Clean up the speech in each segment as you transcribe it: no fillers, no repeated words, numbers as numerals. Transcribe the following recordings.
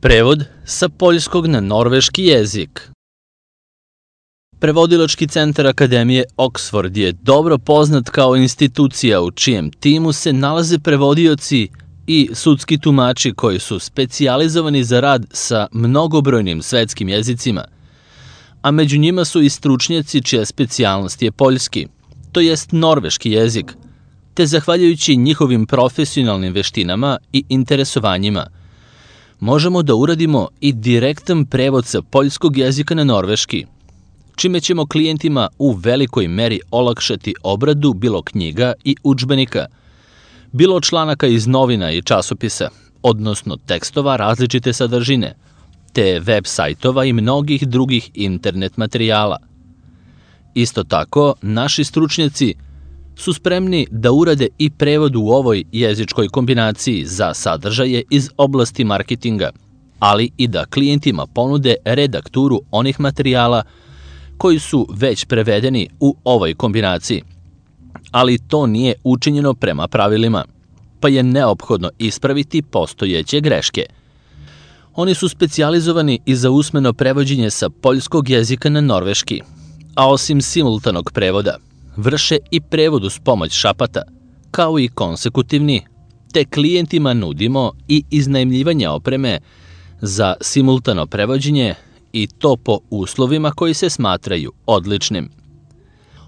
Prevod sa poljskog na norveški jezik. Prevodilački centar Akademije Oxford je dobro poznat kao institucija u čijem timu se nalaze prevodioci i sudski tumači koji su specijalizovani za rad sa mnogobrojnim svetskim jezicima, a među njima su i stručnjaci čija specijalnost je poljski, to jest norveški jezik, te zahvaljujući njihovim profesionalnim veštinama i interesovanjima, možemo da uradimo i direktan prevod sa poljskog jezika na norveški, čime ćemo klijentima u velikoj meri olakšati obradu bilo knjiga i udžbenika, bilo članaka iz novina i časopisa, odnosno tekstova različite sadržine, te web sajtova i mnogih drugih internet materijala. Isto tako, naši stručnjaci su spremni da urade i prevod u ovoj jezičkoj kombinaciji za sadržaje iz oblasti marketinga, ali i da klijentima ponude redakturu onih materijala koji su već prevedeni u ovoj kombinaciji. Ali to nije učinjeno prema pravilima, pa je neophodno ispraviti postojeće greške. Oni su specijalizovani i za usmeno prevođenje sa poljskog jezika na norveški, a osim simultanog prevoda, vrše i prevod uz pomoć šapata, kao i konsekutivni, te klijentima nudimo i iznajmljivanje opreme za simultano prevođenje i to po uslovima koji se smatraju odličnim.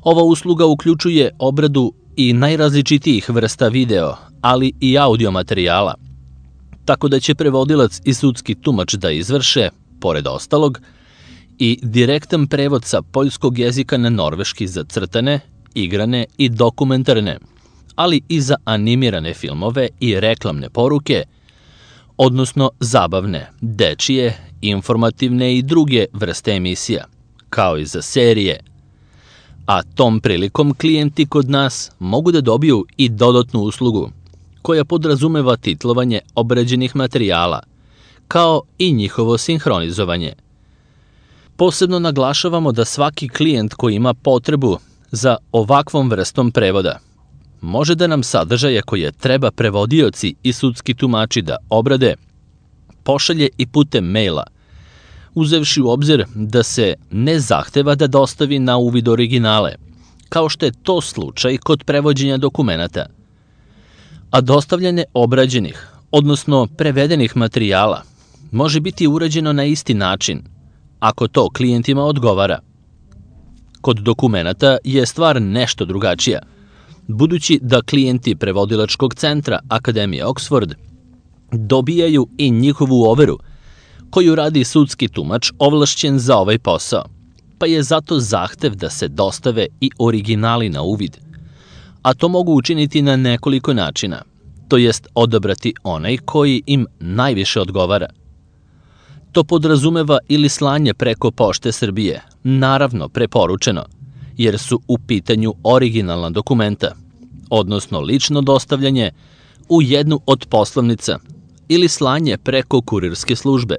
Ova usluga uključuje obradu i najrazličitijih vrsta video, ali i audio materijala, tako da će prevodilac i sudski tumač da izvrše, pored ostalog, i direktan prevod sa poljskog jezika na norveški za crtane, igrane i dokumentarne, ali i za animirane filmove i reklamne poruke, odnosno zabavne, dečije, informativne i druge vrste emisija, kao i za serije. A tom prilikom klijenti kod nas mogu da dobiju i dodatnu uslugu, koja podrazumeva titlovanje obrađenih materijala, kao i njihovo sinhronizovanje. Posebno naglašavamo da svaki klijent koji ima potrebu za ovakvom vrstom prevoda može da nam sadržaje koje treba prevodioci i sudski tumači da obrade pošalje i putem maila, uzevši u obzir da se ne zahteva da dostavi na uvid originale, kao što je to slučaj kod prevođenja dokumenata. A dostavljanje obrađenih, odnosno prevedenih materijala, može biti urađeno na isti način, ako to klijentima odgovara. Kod dokumenata je stvar nešto drugačija, budući da klijenti prevodilačkog centra Akademije Oxford dobijaju i njihovu overu, koju radi sudski tumač ovlašćen za ovaj posao, pa je zato zahtev da se dostave i originali na uvid, a to mogu učiniti na nekoliko načina, to jest odabrati onaj koji im najviše odgovara. To podrazumeva ili slanje preko Pošte Srbije, naravno preporučeno, jer su u pitanju originalna dokumenta, odnosno lično dostavljanje u jednu od poslovnica ili slanje preko kurirske službe.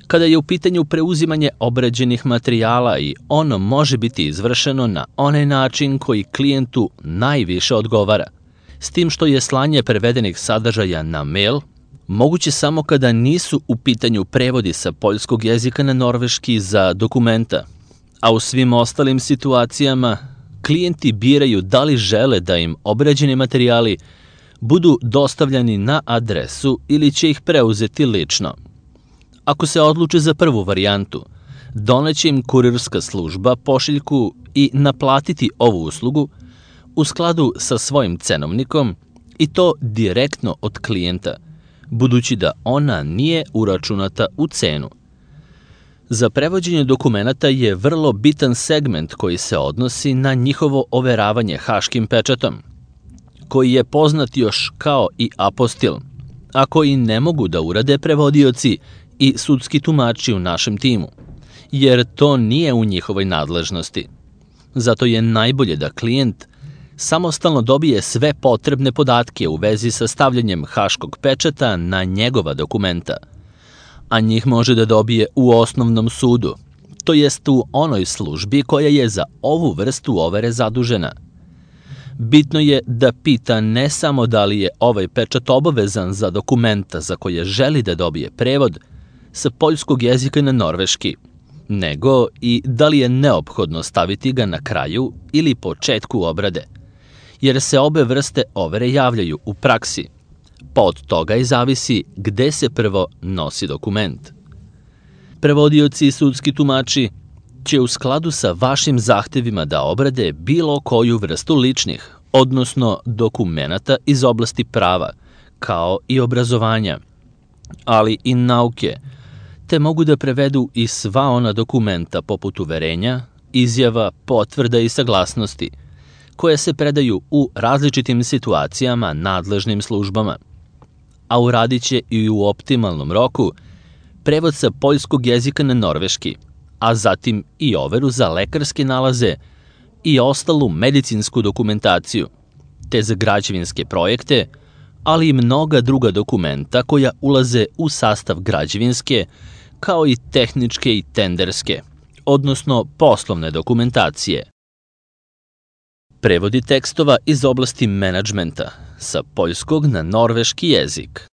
Kada je u pitanju preuzimanje obrađenih materijala i ono može biti izvršeno na onaj način koji klijentu najviše odgovara, s tim što je slanje prevedenih sadržaja na mail moguće samo kada nisu u pitanju prevodi sa poljskog jezika na norveški za dokumenta, a u svim ostalim situacijama klijenti biraju da li žele da im obrađeni materijali budu dostavljani na adresu ili će ih preuzeti lično. Ako se odluče za prvu varijantu, doneće im kurirska služba pošiljku i naplatiti ovu uslugu u skladu sa svojim cenovnikom i to direktno od klijenta, budući da ona nije uračunata u cenu. Za prevođenje dokumenata je vrlo bitan segment koji se odnosi na njihovo overavanje haškim pečatom, koji je poznat još kao i apostil, a koji ne mogu da urade prevodioci i sudski tumači u našem timu, jer to nije u njihovoj nadležnosti. Zato je najbolje da klijent samostalno dobije sve potrebne podatke u vezi sa stavljanjem haškog pečata na njegova dokumenta, a njih može da dobije u osnovnom sudu, to jest u onoj službi koja je za ovu vrstu overe zadužena. Bitno je da pita ne samo da li je ovaj pečat obavezan za dokumenta za koje želi da dobije prevod, sa poljskog jezika na norveški, nego i da li je neophodno staviti ga na kraju ili početku obrade, jer se obe vrste overe javljaju u praksi, pa od toga i zavisi gde se prvo nosi dokument. Prevodioci i sudski tumači će u skladu sa vašim zahtevima da obrade bilo koju vrstu ličnih, odnosno dokumenata iz oblasti prava, kao i obrazovanja, ali i nauke, te mogu da prevedu i sva ona dokumenta poput uverenja, izjava, potvrda i saglasnosti, koje se predaju u različitim situacijama nadležnim službama, a uradit će i u optimalnom roku prevod sa poljskog jezika na norveški, a zatim i overu za lekarske nalaze i ostalu medicinsku dokumentaciju, te za građevinske projekte, ali i mnoga druga dokumenta koja ulaze u sastav građevinske, kao i tehničke i tenderske, odnosno poslovne dokumentacije. Prevodi tekstova iz oblasti menadžmenta sa poljskog na norveški jezik.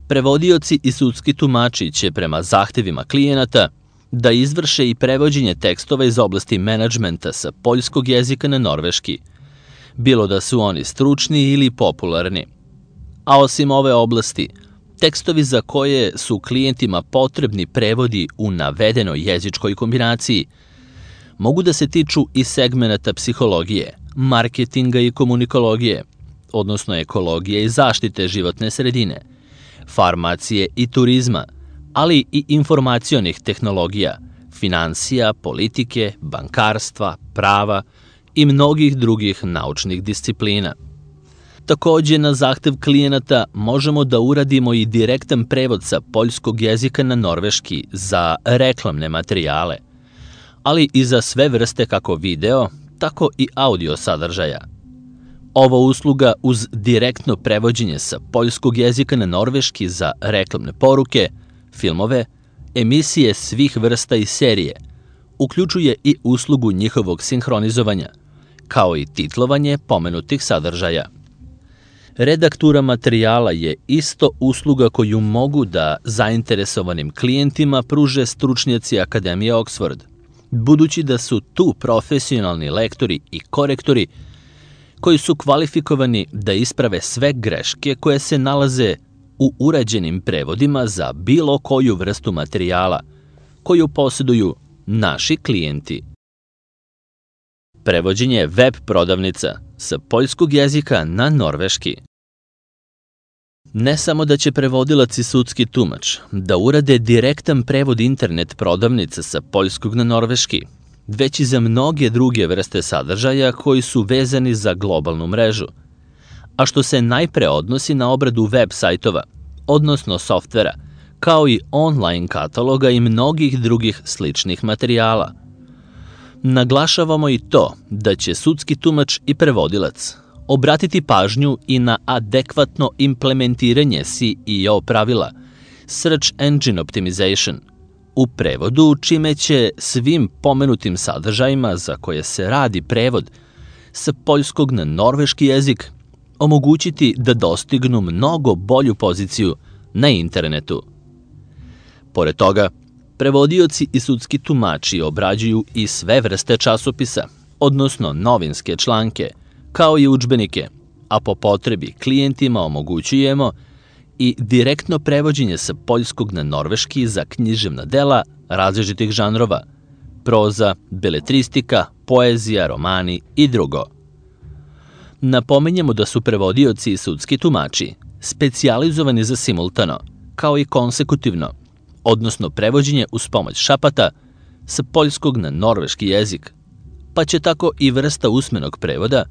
Prevodioci i sudski tumači će prema zahtevima klijenata da izvrše i prevođenje tekstova iz oblasti menadžmenta sa poljskog jezika na norveški, bilo da su oni stručni ili popularni. A osim ove oblasti, tekstovi za koje su klijentima potrebni prevodi u navedenoj jezičkoj kombinaciji mogu da se tiču i segmenata psihologije, marketinga i komunikologije, odnosno ekologije i zaštite životne sredine, farmacije i turizma, ali i informacionih tehnologija, finansija, politike, bankarstva, prava i mnogih drugih naučnih disciplina. Takođe, na zahtev klijenata možemo da uradimo i direktan prevod sa poljskog jezika na norveški za reklamne materijale, ali i za sve vrste kako video, tako i audio sadržaja. Ova usluga uz direktno prevođenje sa poljskog jezika na norveški za reklamne poruke, filmove, emisije svih vrsta i serije, uključuje i uslugu njihovog sinhronizovanja, kao i titlovanje pomenutih sadržaja. Redaktura materijala je isto usluga koju mogu da zainteresovanim klijentima pruže stručnjaci Akademije Oxford, budući da su tu profesionalni lektori i korektori koji su kvalifikovani da isprave sve greške koje se nalaze u urađenim prevodima za bilo koju vrstu materijala koju posjeduju naši klijenti. Prevođenje web prodavnica sa poljskog jezika na norveški. Ne samo da će prevodilac i sudski tumač da urade direktan prevod internet prodavnice sa poljskog na norveški, već i za mnoge druge vrste sadržaja koji su vezani za globalnu mrežu, a što se najpre odnosi na obradu web sajtova, odnosno softvera, kao i online kataloga i mnogih drugih sličnih materijala. Naglašavamo i to da će sudski tumač i prevodilac obratiti pažnju i na adekvatno implementiranje SEO pravila, Search Engine Optimization, u prevodu, čime će svim pomenutim sadržajima za koje se radi prevod sa poljskog na norveški jezik omogućiti da dostignu mnogo bolju poziciju na internetu. Pored toga, prevodioci i sudski tumači obrađuju i sve vrste časopisa, odnosno novinske članke, kao i udžbenike, a po potrebi klijentima omogućujemo i direktno prevođenje sa poljskog na norveški za književna dela različitih žanrova, proza, beletristika, poezija, romani i drugo. Napominjemo da su prevodioci i sudski tumači specijalizovani za simultano, kao i konsekutivno, odnosno prevođenje uz pomoć šapata sa poljskog na norveški jezik, pa će tako i vrsta usmenog prevoda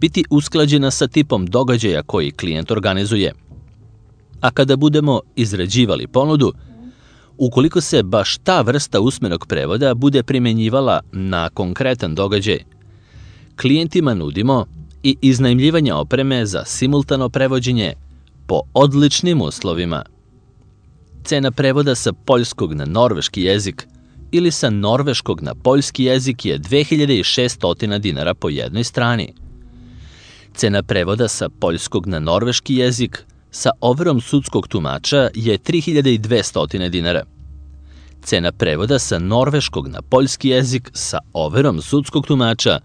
biti usklađena sa tipom događaja koji klijent organizuje. A kada budemo izrađivali ponudu, ukoliko se baš ta vrsta usmenog prevoda bude primenjivala na konkretan događaj, klijentima nudimo i iznajmljivanje opreme za simultano prevođenje po odličnim uslovima. Cena prevoda sa poljskog na norveški jezik ili sa norveškog na poljski jezik je 2600 dinara po jednoj strani. Cena prevoda sa poljskog na norveški jezik sa overom sudskog tumača je 3200 dinara. Cena prevoda sa norveškog na poljski jezik sa overom sudskog tumača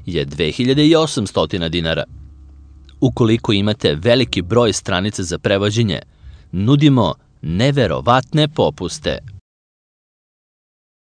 je 2800 dinara. Ukoliko imate veliki broj stranica za prevođenje, nudimo neverovatne popuste.